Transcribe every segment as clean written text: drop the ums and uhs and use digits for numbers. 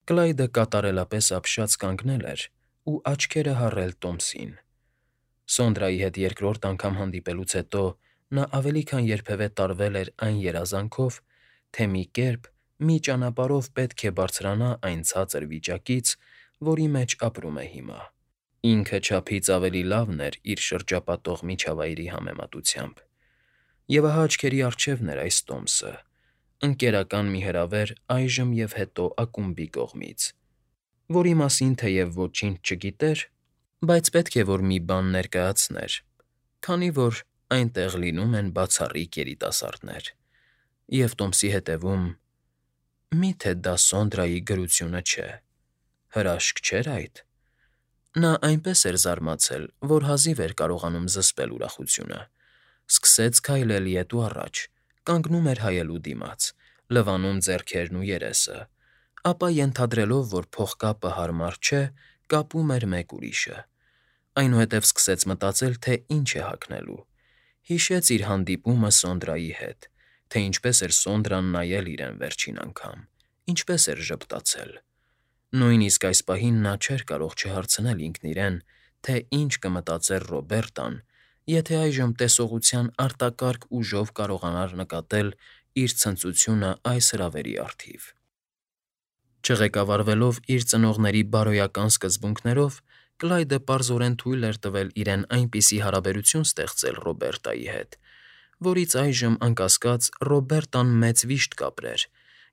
Կլայդը կատարելապես ապշած կանգնել էր ու աչքերը հառել Տոմսին։ Սոնդրայի հետ երկրորդ անգամ հանդիպելուց հետո նա ավելի քան երբևէ տարվել էր այն երազանքով, թե մի կերպ, մի ճանապարհով պետք է բարձրանա այն ցածր վիճակից, որի մեջ ապրում է հիմա։ Ինքը չափից ավելի լավն էր իր շրջապատող միջավայրի համեմատությամբ։ Եվ ահա աչքերի առջևն էր այս Տոմսը, ընկերական մի հրավեր այժմ և հետո ակումբի կողմից, որի մասին թեև ոչինչ չգիտեր, բայց պետք է որ մի բան ներկայացներ, քանի որ այնտեղ լինում են բացառիկ երիտասարդներ, և Տոմսի հետևում… Մի՞թե դա Սոնդրայի գրությունը չէ… Հրաշք չէր այդ… Նա այնպես էր զարմացել, որ հազիվ էր կարողանում զսպել ուրախությունը, սկսեց քայլել ետ ու առաջ, կանգնում էր հայելու դիմաց, լվանում ձեռքերն ու երեսը, ապա ենթադրելով, որ փողկապը հարմար չէ, կապում էր մեկ ուրիշը, այնուհետև սկսեց մտածել, թե ինչ է հագնելու, հիշեց իր հանդիպումը Սոնդրայի հետ, թե ինչպես էր Սոնդրան նայել իրեն վերջին անգամ, ինչպես էր ժպտացել… Նույնիսկ այս պահին նա չէր կարող չհարցնել ինքն իրեն, թե ինչ կմտածեր Ռոբերտան, եթե այժմ տեսողության արտակարգ ուժով կարողանար նկատել իր ցնծությունը այս հրավերի առթիվ։ Չղեկավարվելով իր ծնողների բարոյական սկզբունքներով, Կլայդը պարզորեն թույլ էր տվել իրեն այնպիսի հարաբերություն ստեղծել Ռոբերտայի հետ, որից այժմ, անկասկած, Ռոբերտան մեծ վիշտ կապրեր,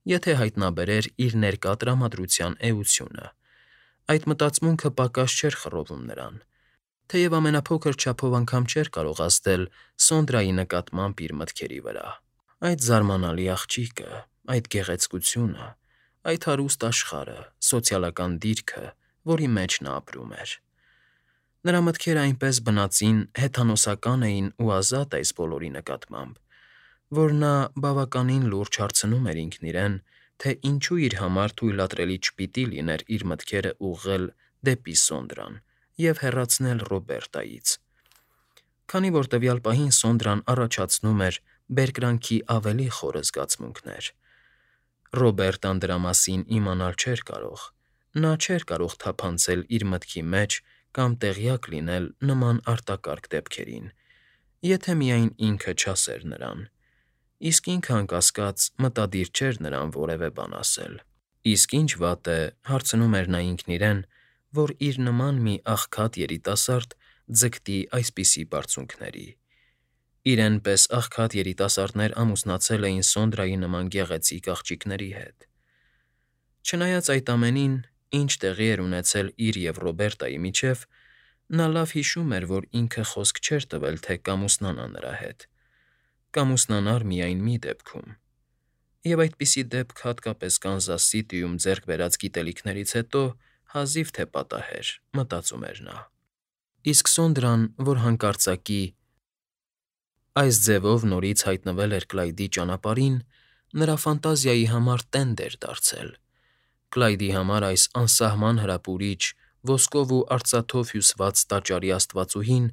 եթե հայտնաբերեր իր ներկա տրամադրության էությունը։ Այդ մտածմունքը պակաս չէր խռովում նրան, թեև ամենափոքր չափով անգամ չէր կարող ազդել Սոնդրայի նկատմամբ իր մտքերի վրա։ Այդ զարմանալի աղջիկը, այդ գեղեցկությունը, այդ հարուստ աշխարհը, սոցիալական դիրքը, որի մեջ նա ապրում էր… Նրա մտքերը այնպես բնածին, հեթանոսական էին ու ազատ այս բոլորի նկատմամբ, որ նա բավականին լուրջ հարցնում էր ինքն իրեն, թե ինչու իր համար թույլատրելի չպիտի լիներ իր մտքերը ուղղել դեպի Սոնդրան և հեռացնել Ռոբերտայից, քանի որ տվյալ պահին Սոնդրան առաջացնում էր բերկրանքի ավելի խորը զգացմունքներ։ Ռոբերտան դրա մասին իմանալ չէր կարող, նա չէր կարող թափանցել իր մտքի մեջ կամ տեղյակ լինել նման արտակարգ դեպքերին, եթե միայն ինքը չասեր նրան, իսկ ինքը, անկասկած, մտադիր չէր նրան որևէ բան ասել։ Իսկ ինչ վատ է, հարցնում էր նա ինքն իրեն, որ իր նման մի աղքատ երիտասարդ ձգտի այսպիսի բարձունքների… Իրեն պես աղքատ երիտասարդներ ամուսնացել էին Սոնդրայի նման գեղեցիկ աղջիկների հետ։ Չնայած այդ ամենին, ինչ տեղի էր ունեցել իր և Ռոբերտայի միջև, նա լավ հիշում էր, որ ինքը խոսք չէր տվել, թե կամուսնանա նրա հետ, կամուսնանար միայն մի դեպքում… Եվ այդպիսի դեպք հատկապես Կանզաս Սիթիում ձեռք բերած գիտելիքներից հետո հազիվ թե պատահեր, մտածում էր նա։ Իսկ Սոնդրան, որ հանկարծակի այս ձևով նորից հայտնվել էր Կլայդի ճանապարհին, նրա ֆանտազիայի համար տենդ էր դարձել… Կլայդի համար այս անսահման հրապուրիչ, ոսկով ու արծաթով հյուսված տաճարի աստվածուհին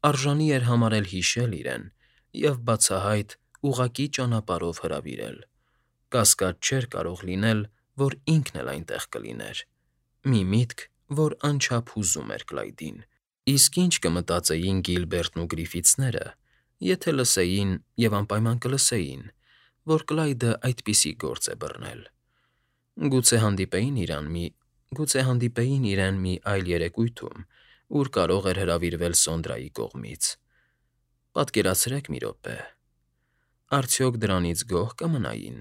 արժանի էր համարել հիշել իրեն և բացահայտ, ուղղակի ճանապարհով հրավիրել… Կասկած չէր կարող լինել, որ ինքն էլ այնտեղ կլիներ… Մի միտք, որ անչափ հուզում էր Կլայդին… Իսկ ինչ կմտածեին Գիլբերտն ու Գրիֆիթսները, եթե լսեին և անպայման կլսեին, որ Կլայդը այդպիսի գործ է բռնել… Գուցե հանդիպեին իրեն մի այլ երեկույթում, ուր կարող էր հրավիրվել Սոնդրայի կողմից… Պատկերացրեք մի րոպե… Արդյոք դրանից գոհ կմնային,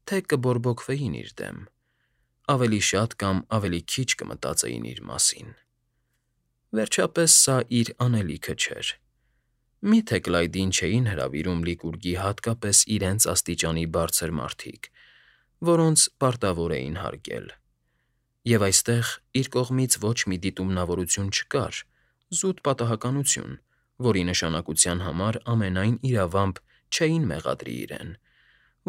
թե կբորբոքվեին իր դեմ, ավելի շատ կամ ավելի քիչ կմտածեին իր մասին… Վերջապես սա իր անելիքը չէր… Մի՞թե Կլայդին չէին հրավիրում Լիկուրգի հատկապես իրենց աստիճանի բարձր մարդիկ, որոնց պարտավոր էին հարգել… Եվ այստեղ իր կողմից ոչ մի դիտումնավորություն չկար, զուտ պատահականություն, որի նշանակության համար ամենայն իրավամբ չէին մեղադրի իրեն,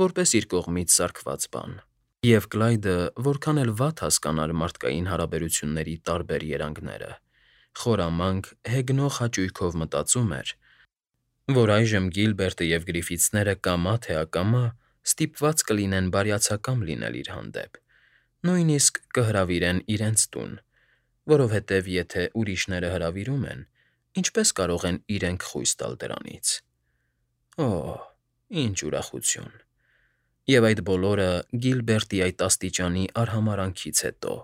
որպես իր կողմից սարքված բան… Եվ Կլայդը որքան էլ վատ հասկանար մարդկային հարաբերությունների տարբեր երանգները, խորամանկ, հեգնող հաճույքով մտածում էր, որ այժմ Գիլբերտը և Գրիֆիթսները կամա թե ակամա ստիպված կլինեն բարյացակամ լինել իր հանդեպ, Նույնիսկ կհրավիրեն իրենց տուն, որովհետև եթե ուրիշները հրավիրում են, ինչպե՞ս կարող են իրենք խույս տալ դրանից։ Օ՜, ինչ ուրախություն։ Եվ այդ բոլորը Գիլբերտի այդ աստիճանի արհամարհանքից հետո։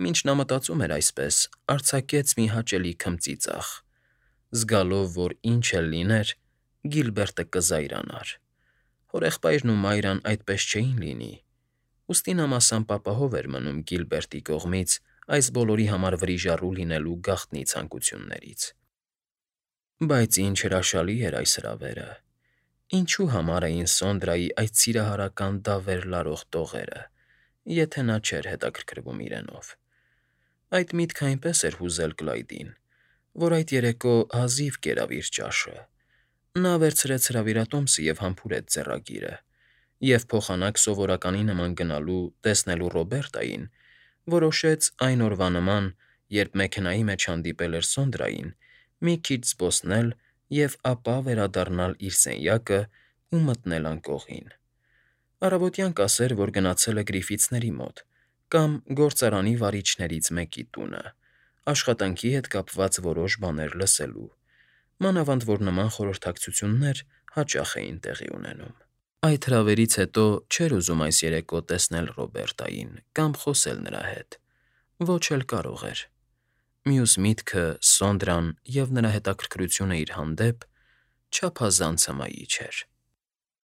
Մինչ նա մտածում էր այսպես, արձակեց մի հաճելի քմծիծաղ, զգալով, որ ինչ էլ լիներ, Գիլբերտը կզայրանար։ Հորեղբայրն ու Մայրան այդպես չէին լինի, ուստի նա մասամբ ապահով էր մնում Գիլբերտի կողմից այս բոլորի համար վրիժառու լինելու գաղտնի ցանկություններից։ Բայց ինչ հրաշալի էր այս հրավերը։ Ինչու համար էին Սոնդրայի այդ սիրահարական դավեր լարող տողերը, եթե նա չէր հետաքրքրվում իրենով։ Այդ միտքը այնպես էր հուզել Կլայդին, որ այդ երեկո հազիվ կերավ իր ճաշը։ Նա վերցրեց հրավիրատոմսը և համբուրեց ձեռագիրը, և փոխանակ սովորականի նման գնալու տեսնելու Ռոբերտային, որոշեց այն օրվա նման, երբ մեքենայի մեջ հանդիպել էր Սոնդրային, մի քիչ զբոսնել և ապա վերադառնալ իր սենյակն ու մտնել անկողին։ Առավոտյան կասեր, որ գնացել է Գրիֆիթսների մոտ կամ գործարանի վարիչներից մեկի տունը, աշխատանքի հետ կապված որոշ բաներ լսելու, մանավանդ որ նման խորհրդակցություններ հաճախ էին տեղի ունենում։ Այդ հրավերից հետո չէր ուզում այս երեկո տեսնել Ռոբերտային կամ խոսել նրա հետ։ Ոչ էլ կարող էր։ Մյուս միտքը՝ Սոնդրան և նրա հետաքրքրությունը իր հանդեպ, չափազանց հմայիչ էր։